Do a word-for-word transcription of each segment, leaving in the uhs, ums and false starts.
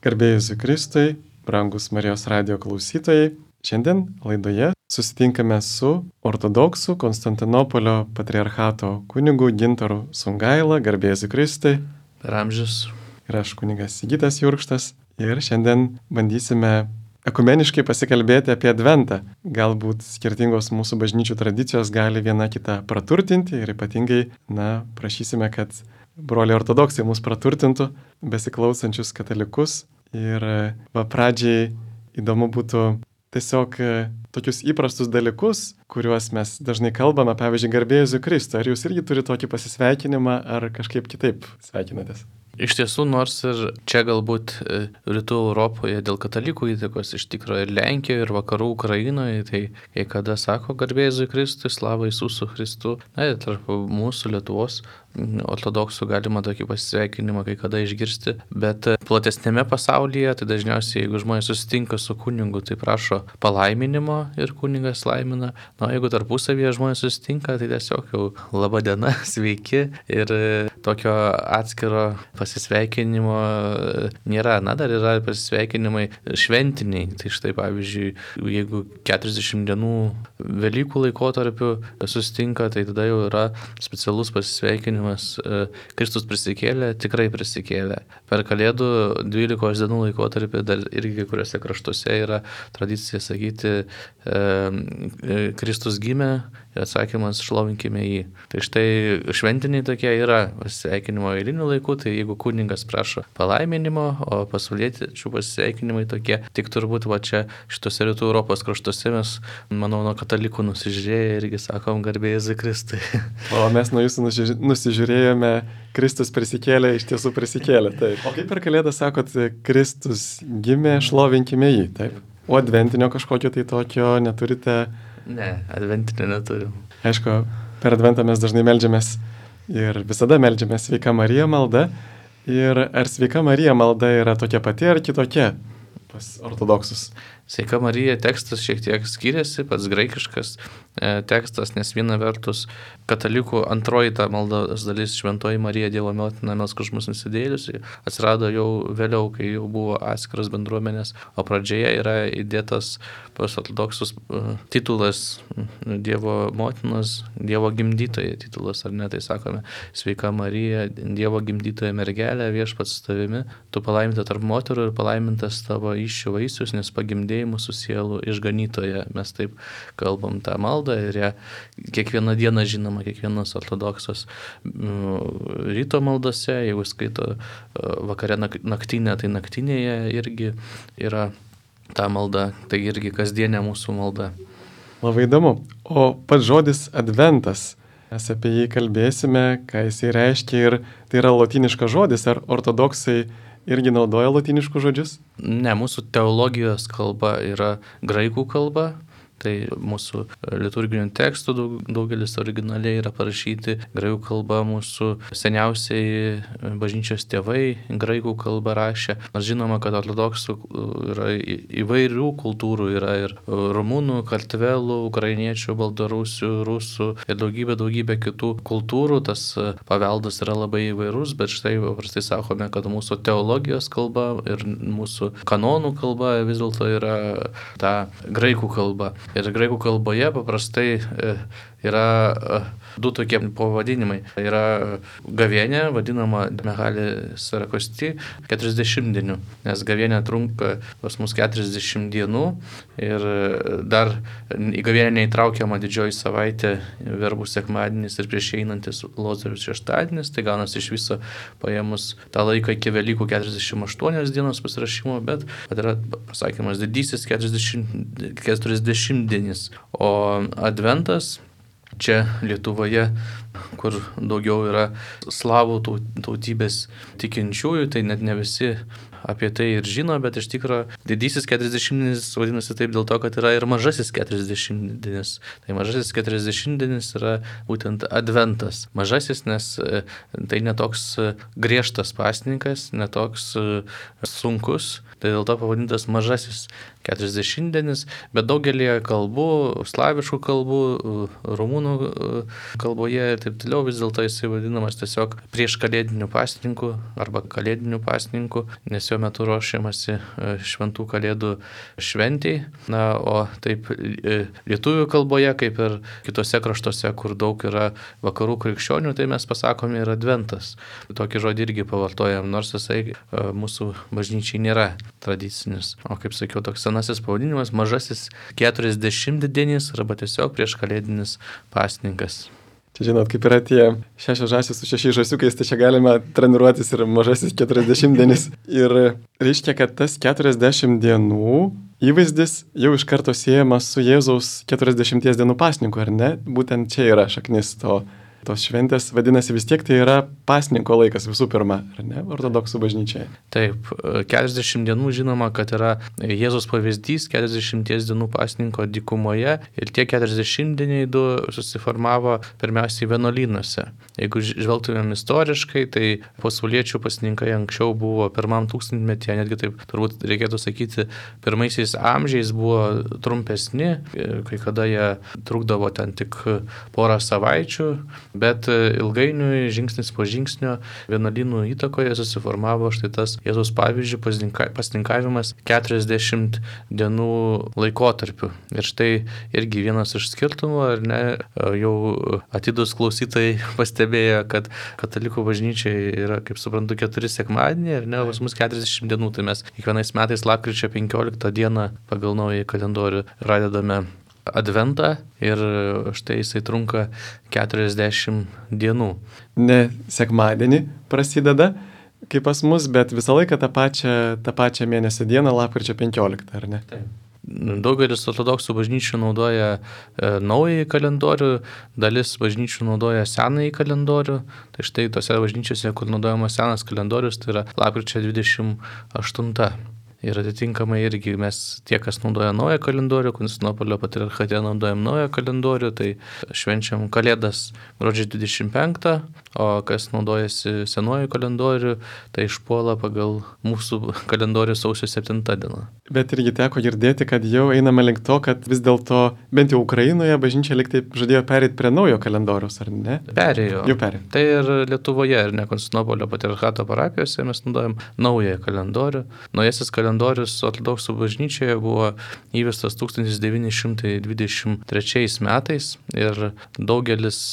Garbėjai Jėzui Kristui, brangus Marijos radijo klausytojai. Šiandien laidoje susitinkame su ortodoksų Konstantinopolio patriarchato kunigu Gintaru Sungaila. Garbėjai Jėzui Kristui. Per amžius. Ir aš kunigas Sigitas Jurkštas. Ir šiandien bandysime ekumeniškai pasikalbėti apie Adventą. Galbūt skirtingos mūsų bažnyčių tradicijos gali viena kitą praturtinti ir ypatingai, na, prašysime, kad broliai ortodoksai mus praturtintų, besiklausančius katalikus. Ir va, pradžiai įdomu būtų tiesiog tokius įprastus dalykus, kuriuos mes dažnai kalbame, pavyzdžiui, Garbėjai Jėzui Kristui. Ar jūs irgi turite tokį pasisveikinimą, ar kažkaip kitaip sveikinatės? Iš tiesų, nors ir čia galbūt rytų Europoje dėl katalikų įtakos, iš tikrųjų ir Lenkijoje, ir vakarų Ukrainoje, tai kai kada sako Garbėjai Jėzui Kristui, slava Jesūsų Christu, na ir tarp mūsų Lietuvos ortodoksų galima tokį pasisveikinimą kai kada išgirsti, bet platesnėme pasaulyje, tai dažniausiai, jeigu žmonės susitinka su kunigu, tai prašo palaiminimo ir kunigas laimina. Na, jeigu tarpusavyje žmonės susitinka, tai tiesiog jau laba diena, sveiki, ir tokio atskiro pasisveikinimo nėra. Na, dar yra pasisveikinimai šventiniai. Tai štai, pavyzdžiui, jeigu keturiasdešimt dienų Velykų laikotarpiu susitinka, tai tada jau yra specialus pasisveikinimas. Kristus prisikėlė, tikrai prisikėlė. Per Kalėdų dvylikos dienų laikotarpį dar irgi kai kuriuose kraštuose yra tradicija sakyti e, Kristus gimė ir atsakymas šlovinkime jį. Tai štai šventiniai tokie yra pasveikinimo eilinių laikų, tai jeigu kuningas prašo palaiminimo, o pasaulietiečių pasveikinimai tokie, tik turbūt va čia šitose rytų Europos kraštuose mes, manau, nuo katalikų nusižiūrėję irgi sakom Garbėjai Jėzui Kristui. O mes nuo jūsų nusižiūrėjome, Kristus prisikėlė, iš tiesų prisikėlė. Taip. O kaip per Kalėdą sakot, Kristus gimė, šlovinkime jį, taip? O adventinio kažkokio tai tokio neturite? Ne, adventinio neturim. Aišku, per Adventą mes dažnai meldžiamės ir visada meldžiamės Sveika Marija malda. Ir ar Sveika Marija malda yra tokia pati ar kitokia pas ortodoksus? Sveika Marija tekstas šiek tiek skiriasi, pats graikiškas e, tekstas, nes viena vertus katalikų antroji ta maldos dalis Šventoji Marija Dievo motina melsk už mus nusidėjėlius atsirado jau vėliau, kai jau buvo atskiros bendruomenės, o pradžioje yra įdėtas pas ortodoksus e, titulas Dievo motinos, Dievo gimdytoja titulas, ar ne, tai sakome Sveika Marija, Dievo gimdytoja mergelė, viešpats su tavimi, tu palaiminta tarp moterų ir palaimintas tavo įsčių vaisius, nes pagimdėjai mūsų sielų išganytoje. Mes taip kalbam tą maldą ir ją kiekvieną dieną žinoma, kiekvienas ortodoksas ryto maldose, jeigu skaito vakare naktinę, tai naktinėje irgi yra ta malda, tai irgi kasdienė mūsų malda. Labai įdomu. O pats žodis adventas, mes apie jį kalbėsime, ką jisai reiškia, ir tai yra lotyniškas žodis, ar ortodoksai irgi naudoja lotyniškus žodžius? Ne, mūsų teologijos kalba yra graikų kalba, tai mūsų liturginių tekstų daug, daugelis originaliai yra parašyti graikų kalba, mūsų seniausiai bažnyčios tėvai graikų kalba rašė. Nors žinoma, kad ortodoksų yra įvairių kultūrų, yra ir rumunų, kartvelų, ukrainiečių, baltarusių, rusų ir daugybė, daugybė kitų kultūrų. Tas paveldas yra labai įvairus, bet štai paprastai sakome, kad mūsų teologijos kalba ir mūsų kanonų kalba vis dėlto yra ta graikų kalba. Ir graikų kalboje paprastai yra du tokie pavadinimai. Yra gavėnė, vadinama Megali Sarakosti, keturiasdešimtdienių, nes gavėnė trunka pas mus keturiasdešimt dienų ir dar į gavėnę neįtraukiama didžioji savaitė, verbų sekmadienis ir prieš einantis Lozoriaus šeštadienis, tai gaunasi iš viso paėmus tą laiką iki Velykų keturiasdešimt aštuonios dienos pasirašymo, bet yra pasakymas didysis keturiasdešimtdienis, o adventas čia Lietuvoje, kur daugiau yra slavų tautybės tikinčiųjų, tai net ne visi apie tai ir žino, bet iš tikro didysis keturiasdešimtdienis vadinasi taip dėl to, kad yra ir mažasis keturiasdešimtdienis. Tai mažasis keturiasdešimtdienis yra būtent adventas. Mažasis, nes tai netoks griežtas pasninkas, netoks sunkus, tai dėl to pavadintas mažasis keturiasdešimtdienis, bet daugelį kalbų, slaviškų kalbų, rumunų kalboje taip toliau, vis dėlto jisai vadinamas tiesiog prieš kalėdinių pasninkų arba kalėdinių pasninkų, nes jo metu ruošiamasi šventų kalėdų šventei. Na, o taip lietuvių kalboje, kaip ir kitose kraštuose, kur daug yra vakarų krikščionių, tai mes pasakome ir adventas. Tokį žodį irgi pavartojam, nors jisai mūsų bažnyčiai nėra tradicinis. O kaip sakiau, toks senasis pavadinimas - mažasis keturiasdešimtdienis arba tiesiog prieš kalėdinis pasninkas. Čia žinot, kaip yra tie šešios žąsys su šešiais žąsiukais, tai čia galima treniruotis ir mažasis keturiasdešimtdienis. Ir reiškia, kad tas keturiasdešimt dienų įvaizdis jau iš karto siejamas su Jėzaus keturiasdešimties dienų pasninku, ar ne? Būtent čia yra šaknis to. Tos šventės, vadinasi, vis tiek tai yra pasninko laikas visų pirma, ar ne, ortodoksų bažnyčiai. Taip, keturiasdešimt dienų žinoma, kad yra Jėzaus pavyzdys keturiasdešimties dienų pasninko dykumoje ir tie keturiasdešimtdieniai du susiformavo pirmiausiai vienuolynuose. Jeigu žvelgtumėm istoriškai, tai pasauliečių pasninkai anksčiau buvo pirmam tūkstantmetyje, netgi taip turbūt reikėtų sakyti, pirmaisiais amžiais buvo trumpesni, kai kada jie trukdavo ten tik porą savaičių. Bet ilgainiui, žingsnis po žingsnio, vienuolynų įtakoje susiformavo štai tas Jėzaus pavyzdžių pasninkavimas keturiasdešimt dienų laikotarpiu. Ir štai irgi vienas iš skirtumų, ar ne, jau atidus klausytojai pastebėjo, kad katalikų bažnyčiai yra, kaip suprantu, keturi sekmadieniai, ar ne, pas mus keturiasdešimt dienų, tai mes kiekvienais metais lapkričio penkioliktą dieną pagal naują kalendorių pradedame Adventą ir štai jisai trunka keturiasdešimt dienų. Ne sekmadienį prasideda, kaip pas mus, bet visą laiką tą pačią, tą pačią mėnesio dieną, lapkričio penkioliktą, ar ne? Taip. Daugelis ortodoksų bažnyčių naudoja e, naująjį kalendorių, dalis bažnyčių naudoja senąjį kalendorių. Tai štai tose bažnyčiose, kur naudojamas senas kalendorius, tai yra lapkričio dvidešimt aštunta. Ir atitinkamai irgi mes tie, kas naudoja naują kalendorių, Konstantinopolio patriarchate naudojam naują kalendorių, tai švenčiam Kalėdas gruodžio dvidešimt penktą, o kas naudojasi senuoju kalendorių, tai išpuola pagal mūsų kalendorių sausio septintą dieną. Bet irgi teko girdėti, kad jau einame link to, kad vis dėlto bent jau Ukrainoje bažnyčia lyg taip žadėjo pereiti prie naujo kalendoriaus, ar ne? Perėjo. Jau perėjo. Tai ir Lietuvoje, ir ne Konstantinopolio patriarchato parapijose mes naudojam naują kalendorių. Naujasis kalendorius ortodoksų bažnyčioje buvo įvestas tūkstantis devyni šimtai dvidešimt trečiais metais ir daugelis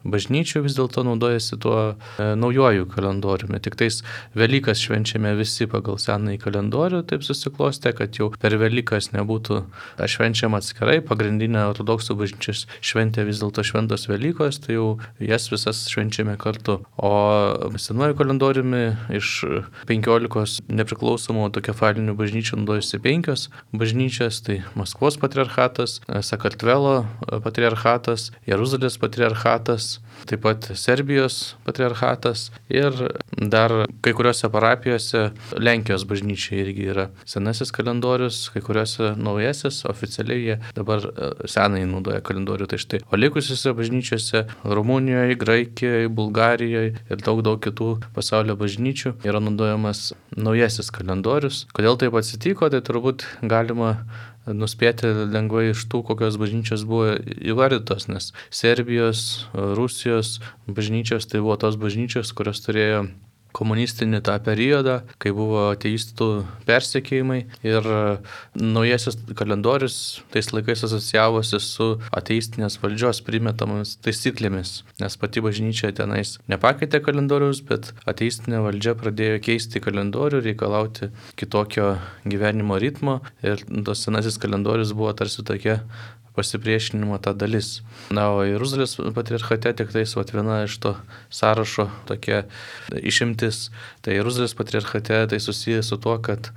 bažnyčių vis dėlto naudojasi tuo e, naujoju kalendoriumi. Tik tais Velykas švenčiame visi pagal senąjį kalendorių, taip susiklostė, kad jau per Velykas nebūtų švenčiama atskirai. Pagrindinė ortodoksų bažnyčios šventė vis dėlto šventos Velykos, tai jau jas visas švenčiame kartu. O senuoju kalendoriumi iš penkiolikos nepriklausomų autokefalinių bažnyčių naudojasi penkios bažnyčios, tai Maskvos patriarchatas, Sakartvelo patriarchatas, Jeruzalės patriarchatas, taip pat Serbijos patriarchatas ir dar kai kuriuose parapijose Lenkijos bažnyčiai irgi yra senasis kalendorius, kai kuriuose naujasis, oficialiai jie dabar senai naudoja kalendorių. Tai štai, o likusiuose bažnyčiose Rumunijoje, Graikijoje, Bulgarijoje ir daug daug kitų pasaulio bažnyčių yra naudojamas naujasis kalendorius. Kodėl taip atsitiko, tai turbūt galima nuspėti lengvai iš tų, kokios bažnyčios buvo įvardytos, nes Serbijos, Rusijos bažnyčios tai buvo tos bažnyčios, kurios turėjo komunistinį tą periodą, kai buvo ateistų persekiojimai ir naujasis kalendorius tais laikais asocijavosi su ateistinės valdžios primetamomis taisyklėmis, nes pati bažnyčia tenais nepakeitė kalendorius, bet ateistinė valdžia pradėjo keisti kalendorių, reikalauti kitokio gyvenimo ritmo ir tos senasis kalendorius buvo tarsi tokia pasipriešinimo ta dalis. Na, o Jeruzalės patriarchate tik tais vat, viena iš to sąrašo tokia išimtis. Tai Jeruzalės patriarchate tai susijęs su tuo, kad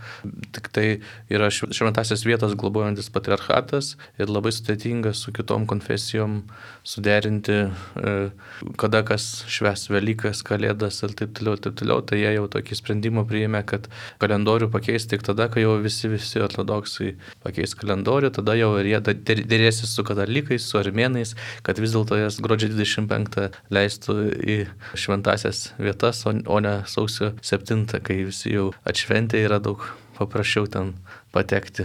tik tai yra šventasias vietos globojantis patriarchatas ir labai sudėtinga su kitom konfesijom suderinti, kada kas švęs Velykas, Kalėdas ir taip toliau, taip toliau. Tai jie jau tokį sprendimą priėmė, kad kalendorių pakeis tik tada, kai jau visi, visi ortodoksai pakeis kalendorių, tada jau ir jie dėrės su katalikais, su armėnais, kad vis dėlto jas gruodžio dvidešimt penktą leistų į šventasias vietas, o ne sausio septintą, kai visi jau atšventė, yra daug paprasčiau ten patekti.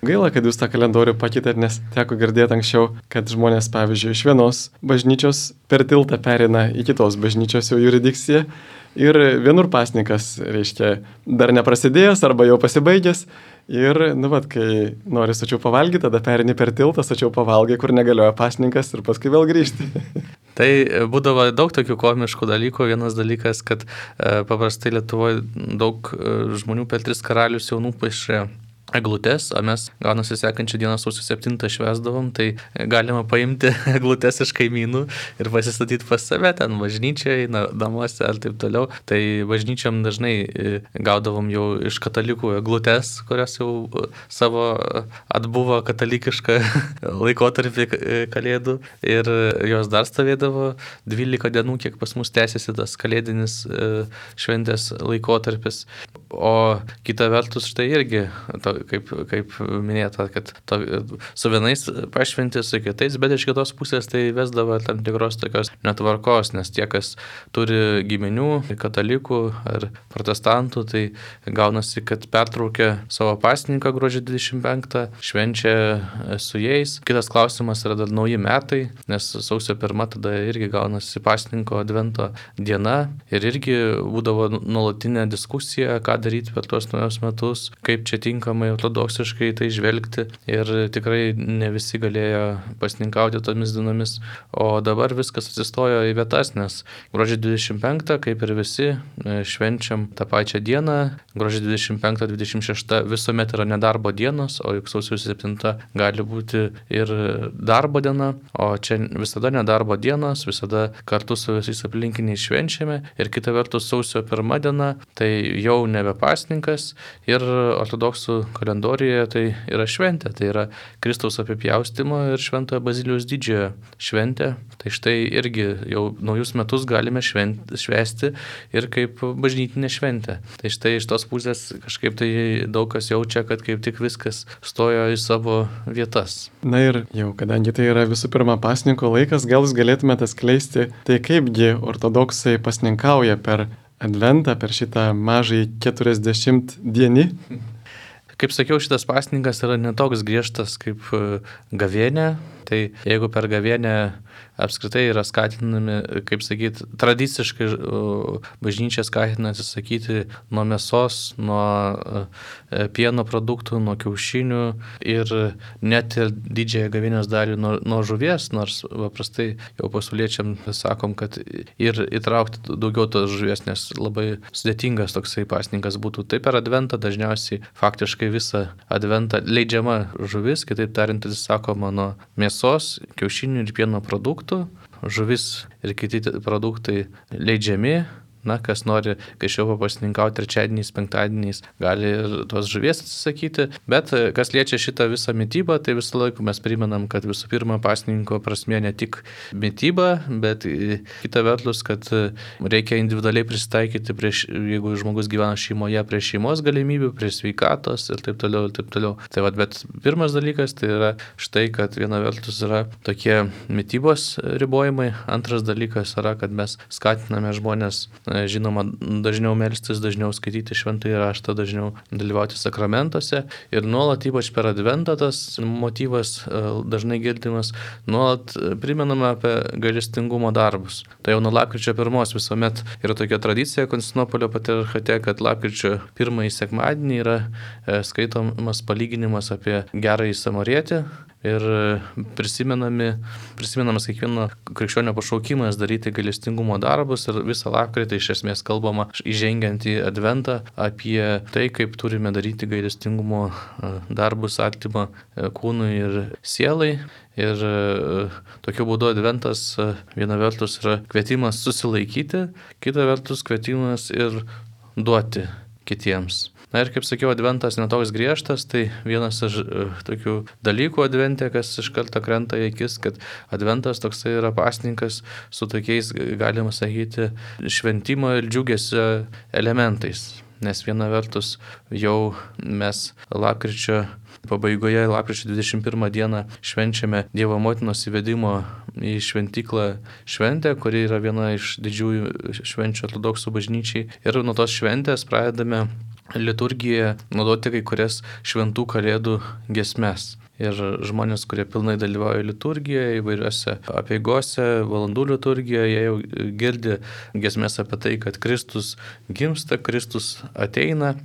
Gaila, kad jūs tą kalendorių pakeitėt, nes teko girdėti anksčiau, kad žmonės, pavyzdžiui, iš vienos bažnyčios per tiltą perina į kitos bažnyčios jau jurisdikciją ir vienur pasninkas, reiškia, dar neprasidėjęs arba jau pasibaigęs ir, nu vat, kai nori sočiau pavalgyti, tada perini per tiltą, sočiau pavalgai, kur negalioja pasninkas ir paskui vėl grįžti. Tai būdavo daug tokių komiškų dalykų. Vienas dalykas, kad e, paprastai Lietuvoje daug e, žmonių per tris karalius jau nupaišė eglutes, o mes gaunasi sekančią dieną sausio septintą švęsdavom, tai galima paimti eglutes iš kaimynų ir pasistatyti pas save ten bažnyčiai, namuose ar taip toliau. Tai bažnyčiam dažnai gaudavom jau iš katalikų eglutes, kurios jau savo atbuvo katalikišką laikotarpį kalėdų ir jos dar stovėdavo dvylika dienų, kiek pas mus tęsiasi tas kalėdinis šventės laikotarpis. O kita vertus štai irgi, to, kaip, kaip minėta, kad to, su vienais pašventi, su kitais, bet iš kitos pusės tai vesdavo tam tikros tokios netvarkos, nes tie, kas turi giminių, katalikų ar protestantų, tai gaunasi, kad pertraukia savo pasninką gruodžio dvidešimt penktą, švenčia su jais. Kitas klausimas yra dar nauji metai, nes sausio pirmą tada irgi gaunasi pasninko advento diena ir irgi būdavo nuolatinė diskusija, ką daryti per tuos naujus metus, kaip čia tinkamai ortodoksiškai tai žvelgti ir tikrai ne visi galėjo pasninkauti tomis dienomis, o dabar viskas atsistojo į vietas, nes gruodžio dvidešimt penktą, kaip ir visi, švenčiam tą pačią dieną, gruodžio dvidešimt penktą dvidešimt šeštą visuomet yra nedarbo dienos, o juk sausio septintą gali būti ir darbo diena, o čia visada nedarbo dienos, visada kartu su visais aplinkiniais švenčiame ir kita vertus sausio pirma diena, tai jau nebe pasninkas ir ortodoksų kalendorijoje tai yra šventė, tai yra Kristaus apipjaustimo ir Šventojo Bazilijaus didžiojo šventė. Tai štai irgi jau naujus metus galime švent, švęsti ir kaip bažnytinė šventė. Tai štai iš tos pusės kažkaip tai daug kas jaučia, kad kaip tik viskas stojo į savo vietas. Na ir jau, kadangi tai yra visų pirma pasninko laikas, gal jūs galėtumėte atskleisti, tai kaipgi ortodoksai pasninkauja per Adventą, per šitą mažai keturiasdešimt dienį. Kaip sakiau, šitas pasninkas yra netoks griežtas kaip gavėnė. Tai jeigu per gavėnę apskritai yra skatinami, kaip sakyti, tradiciškai bažnyčia skatina atsisakyti nuo mėsos, nuo pieno produktų, nuo kiaušinių ir net ir didžiąją gavėnios dalį nuo, nuo žuvies, nors paprastai jau pasauliečiam sakom, kad ir įtraukti daugiau tos žuvies, nes labai sudėtingas toksai pasninkas būtų. Tai per adventą dažniausiai faktiškai visą adventą leidžiama žuvis, kitaip tariant, atsisakoma nuo mėsos, kiaušinių ir pieno produktų. Žuvis ir kiti produktai leidžiami. Na, kas nori gaišiau pasninkauti trečiadieniais, penktadieniais, gali ir tos žuvies atsisakyti. Bet kas liečia šitą visą mitybą, tai visą laiką mes primenam, kad visų pirma pasninko prasmė ne tik mityba, bet kita vertus, kad reikia individualiai prisitaikyti, prieš, jeigu žmogus gyvena šeimoje, prie šeimos galimybių, prie sveikatos ir taip toliau, ir taip toliau. Tai vat, bet pirmas dalykas tai yra štai, kad viena vertus yra tokie mitybos ribojimai, antras dalykas yra, kad mes skatiname žmonės žinoma, dažniau melstis, dažniau skaityti šventąjį raštą, dažniau dalyvauti sakramentuose ir nuolat, ypač per adventą, tas motyvas dažnai girdimas, nuolat primename apie gailestingumo darbus. Tai jau nuo lapkričio pirmos visuomet yra tokia tradicija Konstantinopolio patriarchate, kad lapkričio pirmąjį sekmadienį yra skaitomas palyginimas apie gerąjį samarietį. Ir prisimenami, prisimenamas kiekvieno krikščionio pašaukimas daryti gailestingumo darbus ir visą lapkritį iš esmės kalbama, įžengiant į adventą, apie tai, kaip turime daryti gailestingumo darbus artimą kūnui ir sielai. Ir tokiu būdu adventas viena vertus yra kvietimas susilaikyti, kita vertus kvietimas ir duoti kitiems. Na ir kaip sakiau, adventas netoks griežtas, tai vienas iš tokių dalykų advente, kas iš karto krenta į akis, kad adventas toksai yra pasninkas su tokiais, galima sakyti, šventimo ir džiugesio elementais. Nes viena vertus jau mes lapkričio pabaigoje, lapkričio dvidešimt pirmą dieną švenčiame Dievo motinos įvedimo į šventyklą šventę, kuri yra viena iš didžiųjų švenčių ortodoksų bažnyčiai. Ir nuo tos šventės pradedame liturgijoje naudoti kai kurias šventų kalėdų giesmes. Ir žmonės, kurie pilnai dalyvauja liturgijoje, įvairiuose apeigose, valandų liturgijoje, jie jau girdi giesmes apie tai, kad Kristus gimsta, Kristus ateina.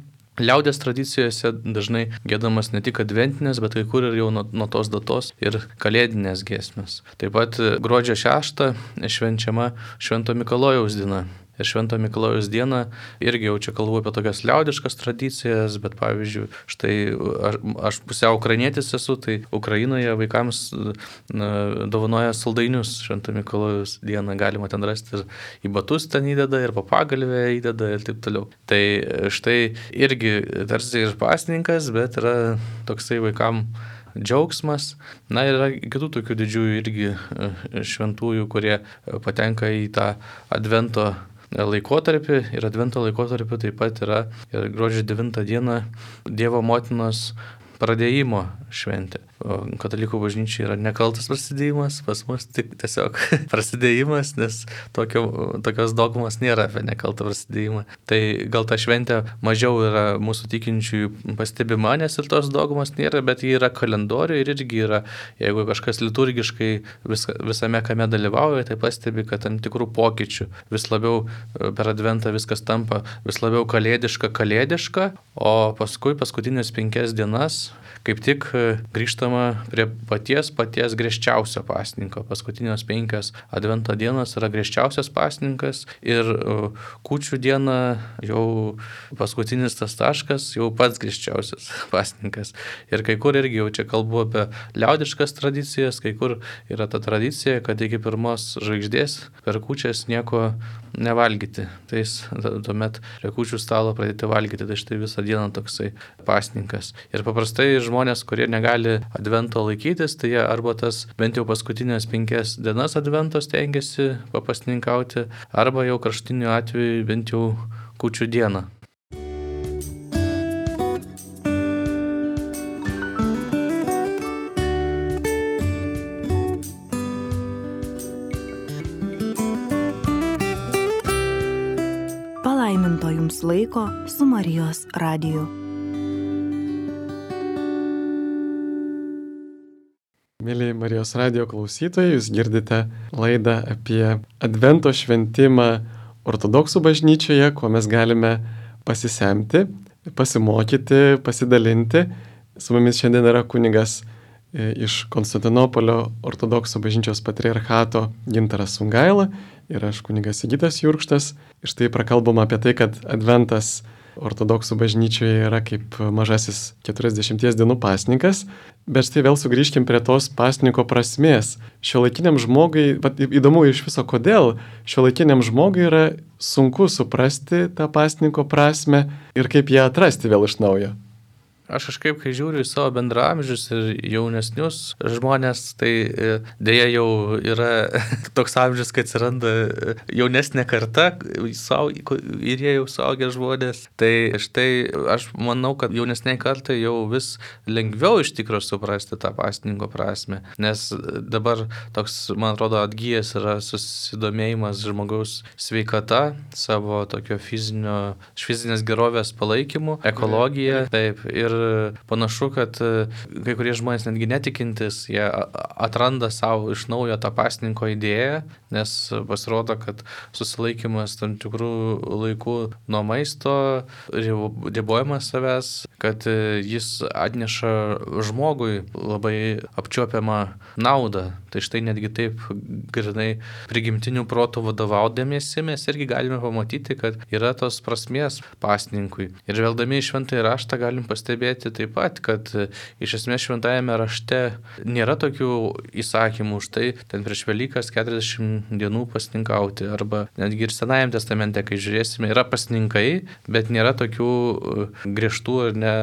Liaudės tradicijose dažnai giedamas ne tik adventinės, bet kai kur ir jau nuo, nuo tos datos ir kalėdinės giesmės. Taip pat gruodžio šeštą švenčiama Švento Mikalojaus diena. Ir Švento Mikalojaus dieną irgi jau čia kalbu apie tokias liaudiškas tradicijas, bet pavyzdžiui, štai aš, aš pusiau ukrainietis esu, tai Ukrainoje vaikams na, dovanoja saldainius Švento Mikalojaus dieną, galima ten rasti ir į batus ten įdeda, ir papagalvę įdeda ir taip toliau. Tai štai irgi tarsi ir pasninkas, bet yra toksai vaikam džiaugsmas. Na ir yra kitų tokių didžiųjų irgi šventųjų, kurie patenka į tą advento laikotarpį, ir advento laikotarpį taip pat yra ir gruodžio devintą dieną Dievo motinos pradėjimo šventė. O katalikų bažnyčiai yra nekaltas prasidėjimas, pas mus tik tiesiog prasidėjimas, nes tokio, tokios dogmos nėra apie nekaltą prasidėjimą. Tai gal ta šventė mažiau yra mūsų tikinčiųjų pastebima, nes ir tos dogmos nėra, bet ji yra kalendoriuje ir irgi yra, jeigu kažkas liturgiškai vis, visame kame dalyvauja, tai pastebi, kad tam tikrų pokyčių vis labiau per adventą viskas tampa vis labiau kalėdiška, kalėdiška, o paskui paskutinės penkias dienas kaip tik grįžtama prie paties paties griežčiausio pasninko. Paskutinės penkios advento dienos yra griežčiausias pasninkas ir kūčių diena jau paskutinis tas taškas, jau pats griežčiausias pasninkas. Ir kai kur irgi jau čia kalbu apie liaudiškas tradicijas, kai kur yra ta tradicija, kad iki pirmos žvaigždės per kūčias nieko nevalgyti. Tai tuomet prie kūčių stalo pradėti valgyti. Tai štai visą dieną toksai pasninkas. Ir paprastai žmonės, kurie negali advento laikytis, tai jie arba tas bent jau paskutinės penkias dienas advento stengiasi papasninkauti, arba jau kraštiniu atveju bent jau kūčių dieną. Palaiminto jums laiko su Marijos radiju. Mėly Marijos radijo klausytojai, jūs girdite laidą apie advento šventimą ortodoksų bažnyčioje, kuo mes galime pasisemti, pasimokyti, pasidalinti. Su mumis šiandien yra kunigas iš Konstantinopolio ortodoksų bažnyčios patriarchato Gintaras Sungaila ir aš kunigas Sigitas Jurkštas. Ir štai prakalbama apie tai, kad adventas ortodoksų bažnyčioje yra kaip mažasis keturiasdešimties dienų pasninkas, bet štai vėl sugrįžkim prie tos pasninko prasmės. Šiuolaikiniam žmogui, įdomu iš viso kodėl, šiuolaikiniam žmogui yra sunku suprasti tą pasninko prasmę ir kaip ją atrasti vėl iš naujo. Aš kažkaip, kai žiūriu į savo bendraamžius ir jaunesnius žmonės, tai dėja jau yra toks amžius, kad atsiranda jaunesnė karta ir jie jau suaugę žmonės. Tai štai aš manau, kad jaunesniai kartai jau vis lengviau iš tikro suprasti tą pasninko prasmę, nes dabar toks, man atrodo, atgyjęs yra susidomėjimas žmogaus sveikata, savo tokio fizinio, fizinės gerovės palaikymu, ekologija, taip, ir panašu, kad kai kurie žmonės netgi netikintis, jie atranda savo iš naujo tą pasninko idėją, nes pasirodo, kad susilaikymas tam tikrų laikų nuo maisto, ribojimas savęs, kad jis atneša žmogui labai apčiuopiamą naudą. Tai štai netgi taip grinai prigimtinių protų vadovaudamiesi mes irgi galime pamatyti, kad yra tos prasmės pasninkui. Ir žvelgdami į šventąjį raštą galim pastebėti taip pat, kad iš esmės šventajame rašte nėra tokių įsakymų, štai ten prieš Velykas keturiasdešimt dienų pasninkauti, arba netgi ir Senajame testamente, kai žiūrėsime, yra pasninkai, bet nėra tokių griežtų ir ne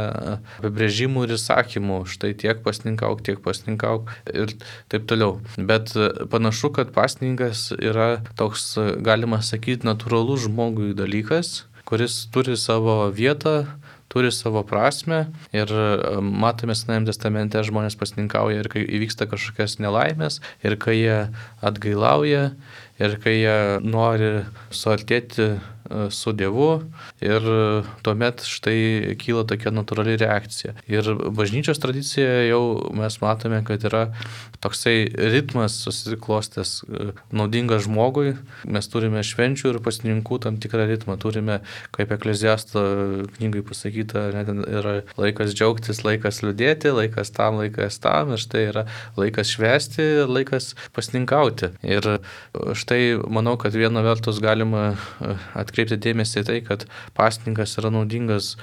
apibrėžimų ir įsakymų, štai tiek pasninkauk, tiek pasninkauk ir taip toliau. Bet panašu, kad pasninkas yra toks, galima sakyti, natūralus žmogui dalykas, kuris turi savo vietą, turi savo prasme ir matome Senajame testamente žmonės pasninkauja ir kai įvyksta kažkokias nelaimės, ir kai jie atgailauja, ir kai jie nori suartėti su Dievu ir tuomet štai kyla tokia natūrali reakcija. Ir bažnyčios tradicijoje jau mes matome, kad yra toksai ritmas susiklostęs naudingas žmogui. Mes turime švenčių ir pasninkų tam tikrą ritmą. Turime, kaip Ekleziasto knygai pasakyta, net yra laikas džiaugtis, laikas liūdėti, laikas tam, laikas tam. Ir štai yra laikas švęsti, laikas pasninkauti. Ir štai manau, kad viena vertus galima atkreipti dėmesį į tai, kad pasninkas yra naudingas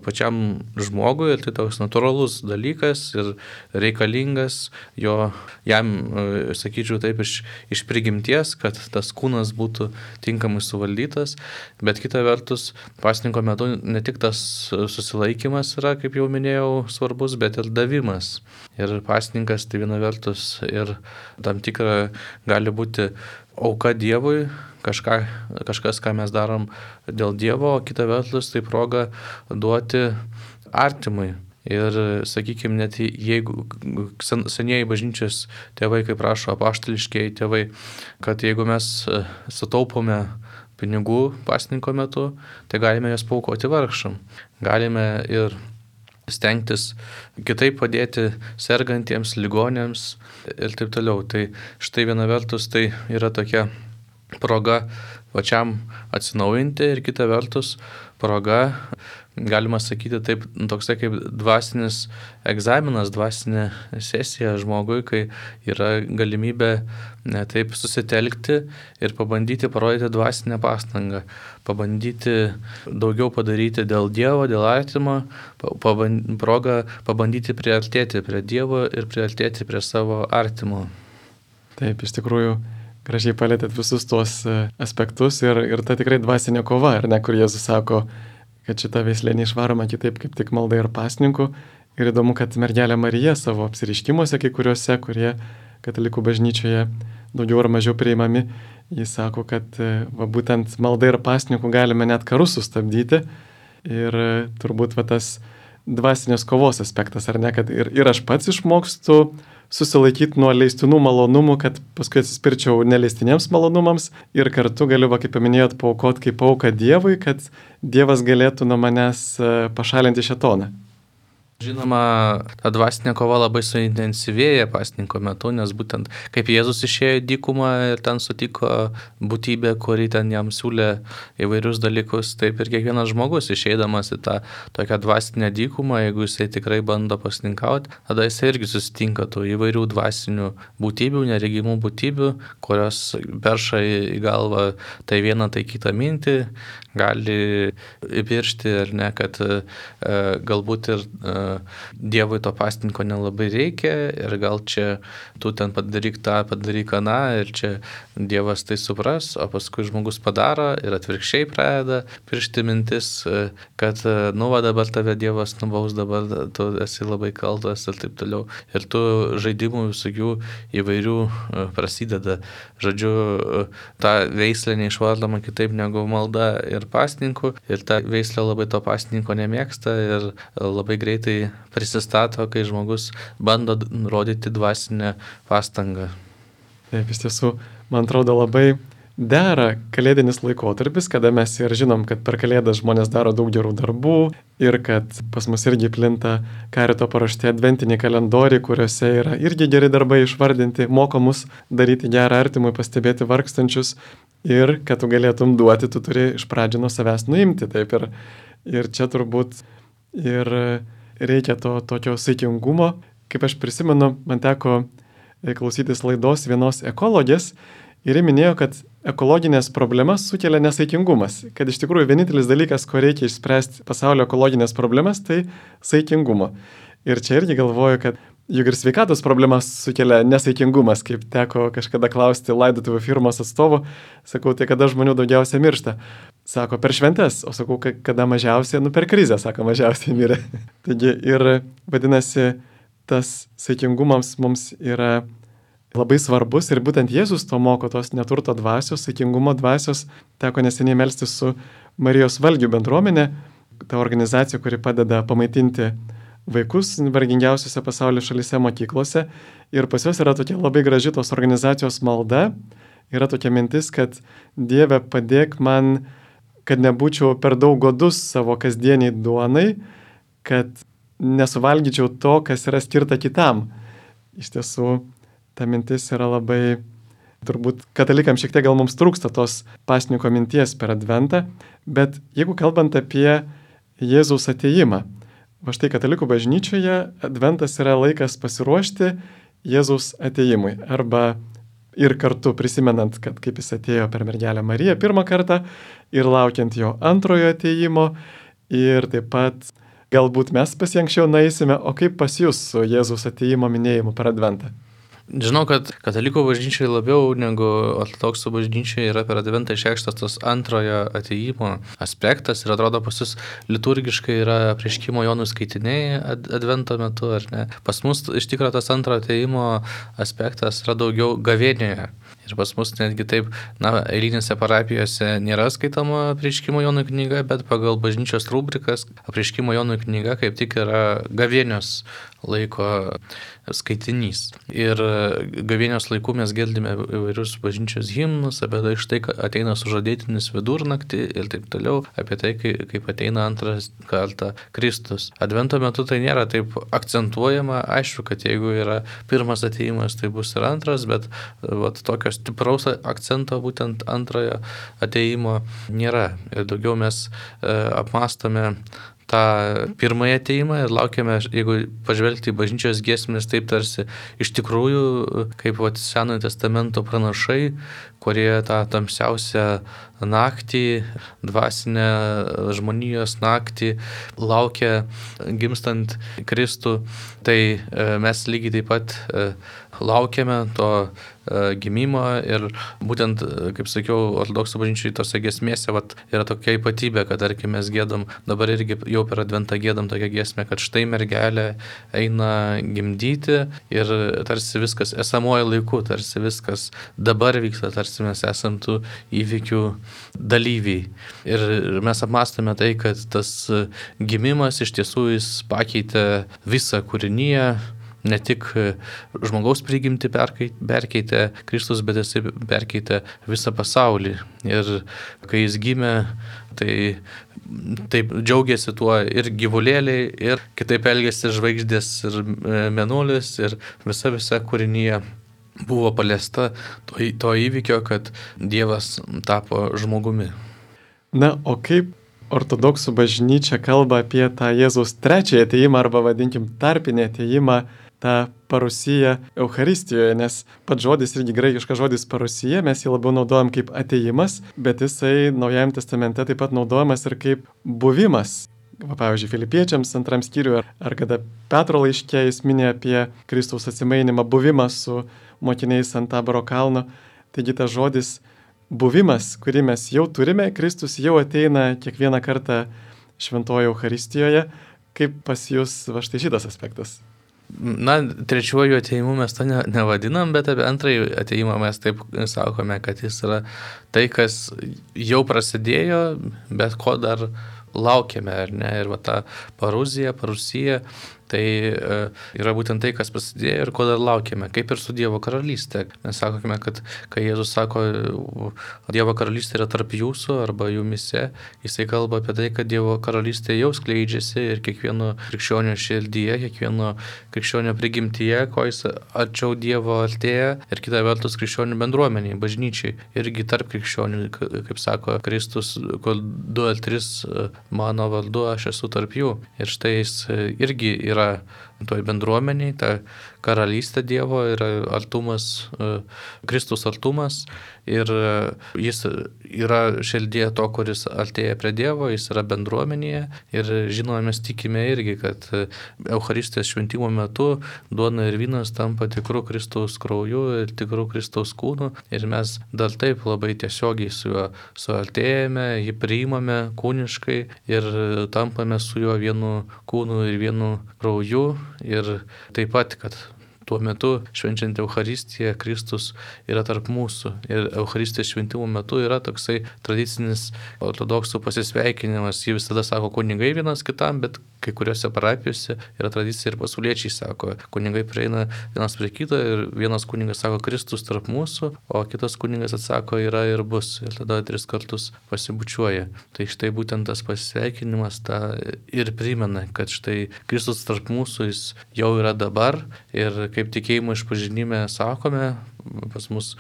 pačiam žmogui ir tai toks natūralus dalykas ir reikalingas jo, jam, sakyčiau taip, iš, iš prigimties, kad tas kūnas būtų tinkamai suvaldytas, bet kita vertus pasninko metu ne tik tas susilaikimas yra, kaip jau minėjau, svarbus, bet ir davimas. Ir pasninkas tai viena vertus ir tam tikra gali būti auka Dievui, kažką, kažkas, ką mes darom dėl Dievo, o kita vertus tai proga duoti artimui. Ir, sakykime, net jeigu senieji bažnyčios tėvai, kaip rašo apaštališkieji tėvai, kad jeigu mes sutaupome pinigų pasninko metu, tai galime jas paaukoti vargšam. Galime ir stengtis kitaip padėti sergantiems, ligonėms ir taip toliau. Tai štai viena vertus tai yra tokia proga pačiam atsinaujinti ir kita vertus proga, galima sakyti taip, toksai kaip dvasinis egzaminas, dvasinė sesija žmogui, kai yra galimybė ne, taip susitelkti ir pabandyti parodyti dvasinę pastangą, pabandyti daugiau padaryti dėl Dievo, dėl artimo, paband, proga pabandyti priartėti prie Dievo ir priartėti prie savo artimo. Taip, iš tikrųjų, gražiai palėtėt visus tuos aspektus ir, ir ta tikrai dvasinė kova, ar ne, kur Jėzus sako, kad šita veislė neišvaroma kitaip kaip tik malda ir pasninku. Ir įdomu, kad mergelė Marija savo apsireiškimuose, kai kuriuose, kurie katalikų bažnyčioje daugiau ar mažiau priimami, jis sako, kad va, būtent malda ir pasninku galime net karus sustabdyti. Ir turbūt va, tas dvasinės kovos aspektas, ar ne, kad ir, ir aš pats išmokstu susilaikyti nuo leistinų malonumų, kad paskui atsispirčiau neleistinėms malonumams ir kartu galiu, va, kaip paminėjot, paaukoti kaip auką Dievui, kad Dievas galėtų nuo manęs pašalinti šėtoną. Žinoma, ta dvasinė kova labai suintensyvėja pasninko metu, nes būtent kaip Jėzus išėjo į dykumą ir ten sutiko būtybę, kuri ten jam siūlė įvairius dalykus, taip ir kiekvienas žmogus išeidamas į tą tokią dvasinę dykumą, jeigu jisai tikrai bando pasninkauti, tada jisai irgi susitinka tų įvairių dvasinių būtybių, neregimų būtybių, kurios perša į galvą tai vieną, tai kitą mintį, gali įpiršti ar ne, kad e, galbūt ir e, Dievui to pasninko nelabai reikia ir gal čia tu ten padaryk tą, padaryk aną ir čia Dievas tai supras, o paskui žmogus padaro ir atvirkščiai pradeda piršti mintis, kad nu va dabar tave Dievas nubaus, dabar tu esi labai kaltas ir taip toliau. Ir tų žaidimų visokių įvairių prasideda. Žodžiu, ta veislė neišvardoma kitaip negu malda ir pasninku ir ta veislė labai to pasninko nemėgsta ir labai greitai prisistato, kai žmogus bando rodyti dvasinę pastangą. Taip, iš tiesų, man atrodo, labai dera kalėdinis laikotarpis, kada mes ir žinom, kad per kalėdas žmonės daro daug gerų darbų ir kad pas mus irgi plinta Karito paruošti adventiniai kalendoriai, kuriuose yra irgi geri darbai išvardinti, moko mus daryti gerą artimui, pastebėti vargstančius ir kad tu galėtum duoti, tu turi iš pradžių nuo savęs nuimti. Taip, ir, ir čia turbūt ir reikia to tokio saikingumo. Kaip aš prisimenu, man teko klausytis laidos vienos ekologės ir ji minėjo, kad ekologinės problemas sukelia nesaikingumas. Kad iš tikrųjų vienintelis dalykas, ko reikia išspręsti pasaulio ekologinės problemas, tai saikingumo. Ir čia irgi galvoju, kad juk ir sveikatos problemas sukelia nesaikingumas, kaip teko kažkada klausti laidotuvių firmos atstovų. Sakau, tai kada žmonių daugiausia miršta? Sako, per šventes, o sakau, kada mažiausiai, nu per krizę, sako, mažiausiai mirė. Taigi ir vadinasi, tas saikingumams mums yra labai svarbus ir būtent Jėzus to moko, tos neturto dvasios, saikingumo dvasios. Teko neseniai melstis su Marijos valgių bendruomenė, ta organizacija, kuri padeda pamaitinti vaikus vargingiausiose pasaulio šalyse mokyklose. Ir pas juos yra tokia labai graži tos organizacijos malda. Yra tokia mintis, kad Dieve padėk man kad nebūčiau per daug godus savo kasdieniai duonai, kad nesuvalgyčiau to, kas yra skirta kitam. Iš tiesų, ta mintis yra labai, turbūt katalikams šiek tiek gal mums trūksta tos pasninko minties per Adventą, bet jeigu kalbant apie Jėzaus atėjimą, va štai katalikų bažnyčioje Adventas yra laikas pasiruošti Jėzaus atėjimui, arba ir kartu prisimenant, kad kaip jis atėjo per mergelę Mariją pirmą kartą ir laukiant jo antrojo atėjimo, ir taip pat galbūt mes pas jį anksčiau naisime, o kaip pas jūs su Jėzaus atėjimo minėjimu per Adventą? Žinau, kad katalikų bažnyčiai labiau negu ortodoksų bažnyčiai yra per Adventą išreikštas tas antrojo atėjimo aspektas ir atrodo pas jūs liturgiškai yra apreiškimo Jonui skaitiniai Advento metu, ar ne? Pas mus iš tikrųjų tas antrojo atėjimo aspektas yra daugiau gavėnioje. Ir pas mus netgi taip, na, eilinėse parapijose nėra skaitoma apreiškimo Jonui knyga, bet pagal bažnyčios rubrikas apreiškimo Jonui knyga kaip tik yra gavėnios laiko skaitinys. Ir gavėnios laikų mes girdime įvairius bažnyčios himnus, apie tai štai ateina sužadėtinis vidurnaktį ir taip toliau, apie tai, kaip ateina antras kartą Kristus. Advento metu tai nėra taip akcentuojama, aišku, kad jeigu yra pirmas atėjimas, tai bus ir antras, bet vat, tokio stipraus akcento būtent antrojo atėjimo nėra. Ir daugiau mes e, apmastome tą pirmąjį atėjimą ir laukiame, jeigu pažvelgti į bažnyčios giesmės, taip tarsi iš tikrųjų, kaip vat, Senojo testamento pranašai, kurie tą tamsiausią naktį, dvasinę žmonijos naktį laukia gimstant Kristų, tai mes lygiai taip pat laukiame to gimimo ir būtent, kaip sakiau, ortodoksų bažnyčiai tose giesmėse vat, yra tokia ypatybė, kad tarkim mes giedam, dabar irgi jau per Adventą giedam tokią giesmę, kad štai mergelė eina gimdyti ir tarsi viskas esamuoju laiku, tarsi viskas dabar vyksta, tarsi mes esam tų įvykių dalyviai. Ir mes apmastame tai, kad tas gimimas iš tiesų jis pakeitė visą kūriniją, ne tik žmogaus prigimtį perkeitė Kristus, bet jis perkeitė visą pasaulį. Ir kai jis gimė, tai taip džiaugiasi tuo ir gyvulėliai, ir kitaip elgėsi žvaigždės ir mėnulis, ir visa visa kūrinyje buvo paliesta to, to įvykio, kad Dievas tapo žmogumi. Na, o kaip ortodoksų bažnyčia kalba apie tą Jėzaus trečiąjį atėjimą, arba vadinkim tarpinį atėjimą, tą parusiją Eucharistijoje, nes pats žodis irgi graikiškas žodis parusija, mes jį labiau naudojam kaip atėjimas, bet jisai Naujajame testamente taip pat naudojamas ir kaip buvimas. Pavyzdžiui, Filipiečiams antram skyriui, ar, ar kada Petro laiške jis minė apie Kristaus atsimainimą, buvimą su mokiniais ant Taboro kalno. Taigi tas žodis buvimas, kurį mes jau turime, Kristus jau ateina kiekvieną kartą šventoje Eucharistijoje. Kaip pas jūs va štai šitas aspektas? Na, trečiuoju atėjimu mes to ne, nevadinam, bet apie antrąjį atėjimą mes taip sakome, kad jis yra tai, kas jau prasidėjo, bet ko dar laukiame, ar ne? Ir va ta paruzija, parusija, tai e, yra būtent tai, kas prasidėjo ir ko dar laukiame, kaip ir su Dievo karalystė. Mes sakome, kad kai Jėzus sako, Dievo karalystė yra tarp jūsų arba jumise, jisai kalba apie tai, kad Dievo karalystė jau skleidžiasi ir kiekvieno krikščionio širdyje, kiekvieno krikščionio prigimtyje, ko jis arčiau Dievo artėja, ir kita vertus krikščionių bendruomeniai, bažnyčiai, irgi tarp krikščionių, kaip sako Kristus, kol du ar tris mano vardu, aš esu tarp jų. Ir štai jis irgi yra yra toj bendruomeniai, ta karalystė Dievo, yra artumas, Kristus artumas, ir jis yra širdyje to, kuris artėja prie Dievo, jis yra bendruomenėje, ir žinoma, mes tikime irgi, kad Eucharistijos šventimo metu duona ir vynas tampa tikrų Kristaus krauju ir tikrų Kristaus kūnu, ir mes dar taip labai tiesiogiai su juo suartėjame, jį priimame kūniškai ir tampame su juo vienu kūnu ir vienu krauju. Ir taip pat, kad tuo metu švenčiant Eucharistiją Kristus yra tarp mūsų. Ir Eucharistijos šventimo metu yra toksai tradicinis ortodoksų pasisveikinimas. Jie visada sako kunigai vienas kitam, bet kai kuriuose parapijose yra tradicija ir pasauliečiai sako, kunigai prieina vienas prie kito ir vienas kunigas sako Kristus tarp mūsų, o kitas kunigas atsako yra ir bus. Ir tada tris kartus pasibučiuoja. Tai štai būtent tas pasisveikinimas tą ir primena, kad štai Kristus tarp mūsų jis jau yra dabar ir kaip tikėjimo išpažinime sakome, pas mus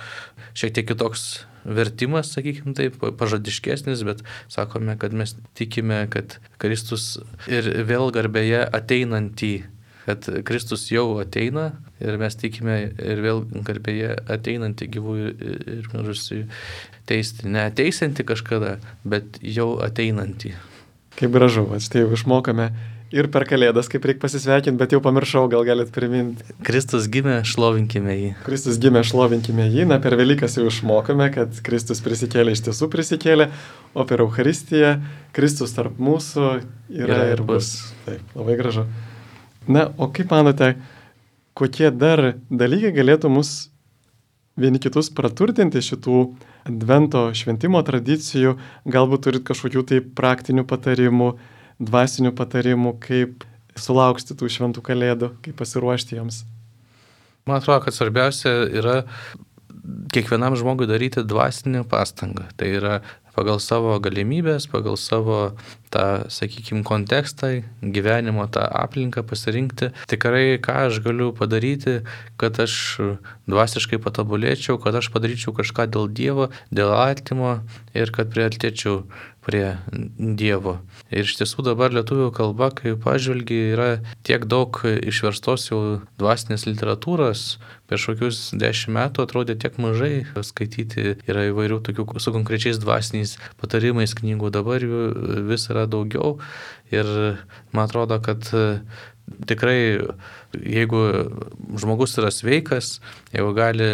šiek tiek kitoks vertimas, sakykime taip, pažadiškesnis, bet sakome, kad mes tikime, kad Kristus ir vėl garbėje ateinantį, kad Kristus jau ateina ir mes tikime ir vėl garbėje ateinantį gyvųjų ir mirusiųjų teisti. Ne ateisiantį kažkada, bet jau ateinantį. Kaip gražu, štai jau išmokame ir per Kalėdas, kaip reikia pasisveikinti, bet jau pamiršau, gal galit priminti. Kristus gimė, šlovinkime jį. Kristus gimė, šlovinkime jį. Na, per Velykas jau išmokome, kad Kristus prisikėlė, iš tiesų prisikėlė, o per Eucharistiją Kristus tarp mūsų yra, yra ir bus. Taip, labai gražu. Na, o kaip manote, kokie dar dalykai galėtų mus vieni kitus praturtinti šitų Advento šventimo tradicijų? Galbūt turit kažkokių tai praktinių patarimų, dvasinių patarimų, kaip sulaukti tų šventų Kalėdų, kaip pasiruošti joms? Man atrodo, kad svarbiausia yra kiekvienam žmogui daryti dvasinę pastangą. Tai yra pagal savo galimybės, pagal savo tą, sakykime, kontekstą, gyvenimo, tą aplinką pasirinkti. Tikrai, ką aš galiu padaryti, kad aš dvasiškai patobulėčiau, kad aš padaryčiau kažką dėl Dievo, dėl artimo ir kad priartėčiau prie Dievo. Ir iš tiesų dabar lietuvių kalba, kai pažvelgi, yra tiek daug išverstos jau dvasinės literatūros. Prieš kokius dešimt metų atrodė tiek mažai skaityti, yra įvairių tokių su konkrečiais dvasiniais patarimais knygų, dabar jų vis yra daugiau. Ir man atrodo, kad tikrai, jeigu žmogus yra sveikas, jeigu gali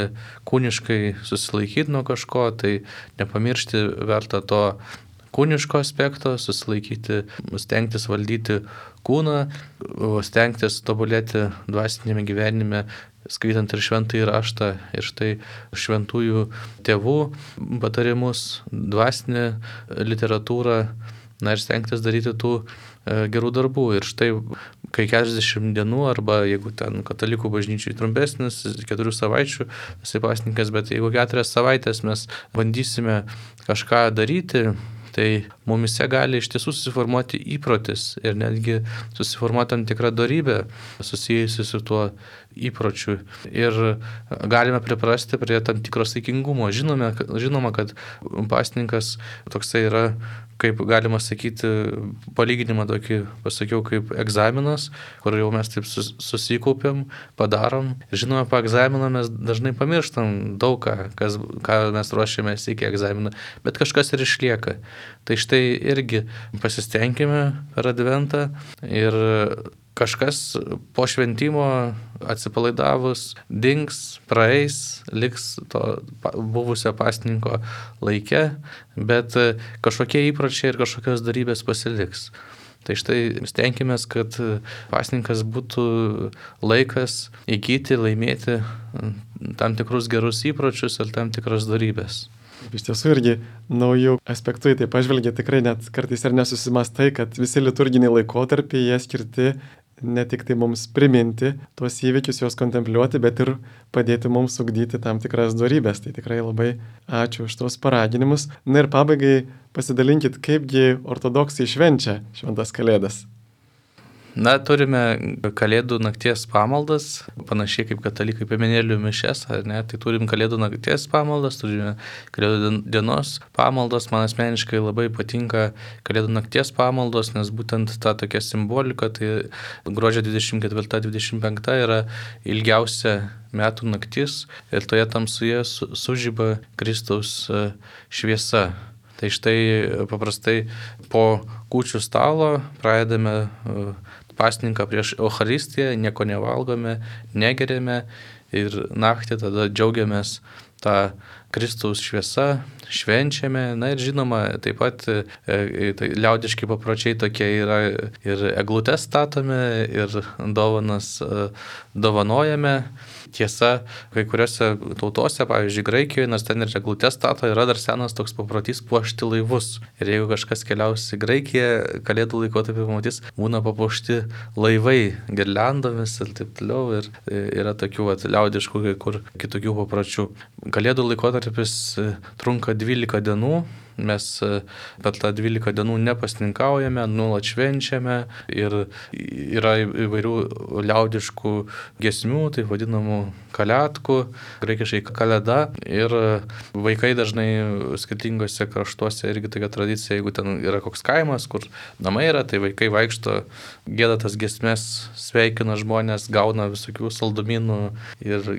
kūniškai susilaikyti nuo kažko, tai nepamiršti verta to kūniško aspekto, susilaikyti, stengtis valdyti kūną, stengtis tobulėti dvasinėme gyvenime, skaitant ir šventąjį raštą, ir štai šventųjų tėvų patarimus, dvasinę literatūrą, na ir stengtis daryti tų gerų darbų. Ir štai, kai keturiasdešimt dienų, arba jeigu ten katalikų bažnyčiai trumpesnis, keturių savaičių, esi pasninkas, bet jeigu keturias savaitės mes bandysime kažką daryti, tai mumise gali iš tiesų susiformuoti įprotis ir netgi susiformuoti tam tikrą dorybę susijusi su tuo įpročiu. Ir galime priprasti prie tam tikro saikingumo. Žinome, žinoma, kad pasninkas toksai yra, kaip galima sakyti, palyginimą tokį pasakiau, kaip egzaminas, kur jau mes taip susikaupiam, padarom. Ir žinoma, po egzamino mes dažnai pamirštam daug ką, kas, ką mes ruošiamės iki egzamino, bet kažkas ir išlieka. Tai štai irgi pasistengime per Adventą ir kažkas po šventimo atsipalaidavus dings, praeis, liks to buvusio pasninko laike, bet kažkokie įpročiai ir kažkokios darybės pasiliks. Tai štai stenkimės, kad pasninkas būtų laikas įgyti, laimėti tam tikrus gerus įpročius ir tam tikras darybės. Iš tiesų irgi naujų aspektų į tai pažvelgia, tikrai net kartais ir nesusimastai, kad visi liturginiai laikotarpiai jie skirti ne tik tai mums priminti tuos įvykius, juos kontempliuoti, bet ir padėti mums ugdyti tam tikras dorybės. Tai tikrai labai ačiū už tos paraginimus. Na ir pabaigai pasidalinkit, kaipgi ortodoksai švenčia šventas Kalėdas. Na, turime Kalėdų nakties pamaldas, panašiai kaip katalikai piemenėlių mišias, ar ne? Tai turim Kalėdų nakties pamaldas, turime Kalėdų dienos pamaldas. Man asmeniškai labai patinka Kalėdų nakties pamaldos, nes būtent ta tokia simbolika, tai gruodžio dvidešimt ketvirta dvidešimt penkta yra ilgiausia metų naktis ir toje tamsoje sužiba Kristaus šviesa. Tai štai paprastai po kūčių stalo pradedame pasninką prieš Eucharistiją, nieko nevalgome, negeriame ir naktį tada džiaugiamės tą Kristaus šviesa, švenčiame. Na ir žinoma, taip pat e, tai liaudiški papročiai tokie yra, ir eglutes statome, ir dovanas e, dovanojame. Tiesa, kai kuriuose tautose, pavyzdžiui, Graikijoje, nors ten ir eglutes stato, yra dar senas toks paprotys puošti laivus. Ir jeigu kažkas keliaus į Graikiją, kalėdų laikotarpį pamatys, būna papuošti laivai girliandomis ir taip toliau. Ir yra tokių vat, liaudiškų kai kur kitokių papročių. Kalėdų laikotarpis trunka dvylika dienų. Mes per tą dvylika dienų nepasninkaujame, nuolat švenčiame ir yra įvairių liaudiškų giesmių, taip vadinamų kaliatkų, graikiškai kalėda, ir vaikai dažnai skirtingose kraštuose irgi tokia tradicija, jeigu ten yra koks kaimas, kur namai yra, tai vaikai vaikšto, gieda tas giesmės, sveikina žmonės, gauna visokių saldumynų ir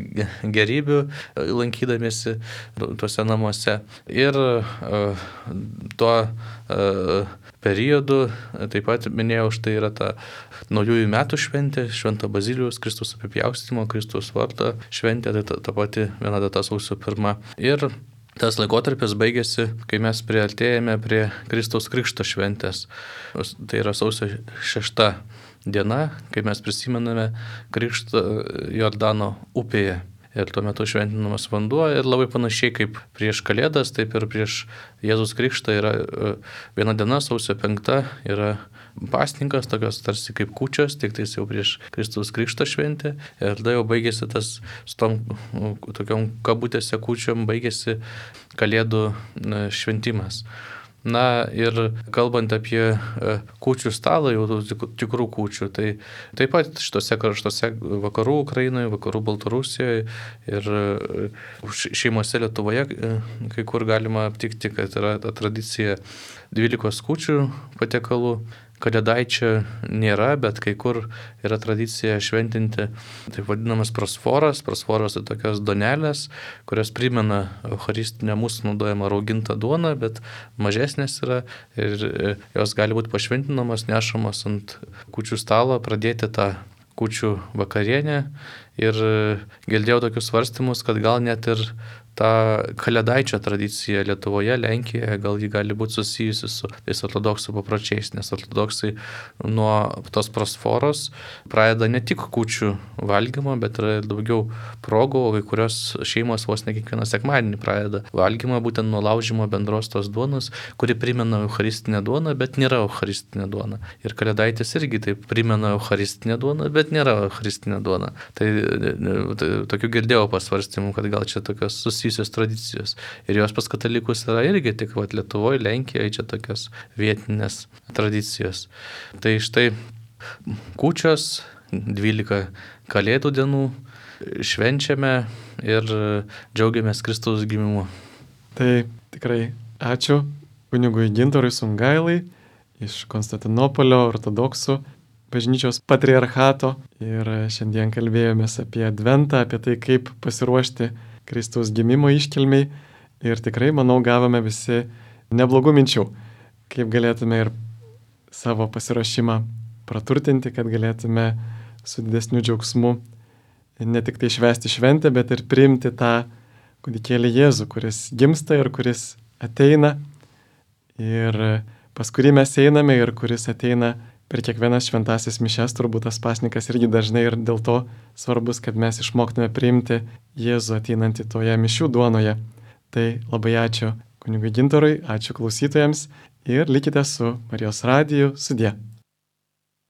gerybių lankydamiesi tuose namuose. Ir uh, tuo uh, periodu, taip pat minėjau, štai yra ta naujųjų metų šventė, Švento Bazilijaus, Kristaus apipjaustymo, Kristaus vardo šventė, tai ta, ta pati viena data sausio pirma. Ir tas laikotarpis baigėsi, kai mes priartėjame prie Kristaus Krikšto šventės. Tai yra sausio šešta diena, kai mes prisimename Krikštą Jordano upėje. Ir tuo metu šventinamas vanduo ir labai panašiai kaip prieš Kalėdas, taip ir prieš Jėzus Krikštą yra viena diena, sausio penkta, yra pasninkas, tokios tarsi kaip kūčios, tik tais jau prieš Kristaus Krikšto šventę. Ir tada jau baigėsi tas, su tom tokiom kabutėse kūčiom, baigėsi Kalėdų šventimas. Na ir kalbant apie kūčių stalą, jau tikrų kūčių, tai taip pat šitose kraštuose vakarų Ukrainoje, vakarų Baltarusijoje ir šeimose Lietuvoje kai kur galima aptikti, kad yra ta tradicija dvylikos kūčių patiekalų. Kalėdaičio nėra, bet kai kur yra tradicija šventinti taip vadinamas prosforas. Prosforas tai tokios duonelės, kurios primena eucharistinę mūsų naudojamą raugintą duoną, bet mažesnės yra ir jos gali būti pašventinamas, nešamas ant kūčių stalo, pradėti tą kūčių vakarienę. Ir girdėjau tokius svarstymus, kad gal net ir ta kalėdaičio tradicija Lietuvoje, Lenkijoje, gal ji gali būti susijusi su tais ortodoksų papročiais, nes ortodoksai nuo tos prosforos pradeda ne tik kūčių valgymo, bet ir daugiau progų, o kai kurios šeimos vos ne kiekvieną sekmadienį pradeda valgymą būtent nuo laužymo bendros tos duonos, kuri primena eucharistinę duoną, bet nėra eucharistinė duona. Ir kalėdaitis irgi taip primena eucharistinę duoną, bet nėra eucharistinė duona. Tai, tai tokių girdėjau pasvarstymų, kad gal čia tokios susijusios tradicijos. Ir jos pas katalikus yra irgi tik vat, Lietuvoje, Lenkijoje, čia tokios vietinės tradicijos. Tai štai kūčios, dvylika kalėdų dienų, švenčiame ir džiaugiamės Kristaus gimimu. Tai tikrai ačiū kunigui Gintarui Sungailai iš Konstantinopolio ortodoksų bažnyčios patriarchato. Ir šiandien kalbėjomės apie Adventą, apie tai, kaip pasiruošti Kristaus gimimo iškilmiai. Ir tikrai, manau, gavome visi neblogų minčių, kaip galėtume ir savo pasiruošimą praturtinti, kad galėtume su didesniu džiaugsmu ne tik tai švęsti šventę, bet ir priimti tą kūdikėlį Jėzų, kuris gimsta ir kuris ateina, ir pas kurį mes einame ir kuris ateina per kiekvienas šventasis mišias. Turbūt tas pasninkas irgi dažnai ir dėl to svarbus, kad mes išmoktume priimti Jėzų ateinantį toje mišių duonoje. Tai labai ačiū kunigui Gintarui, ačiū klausytojams ir likite su Marijos radiju. Sudie.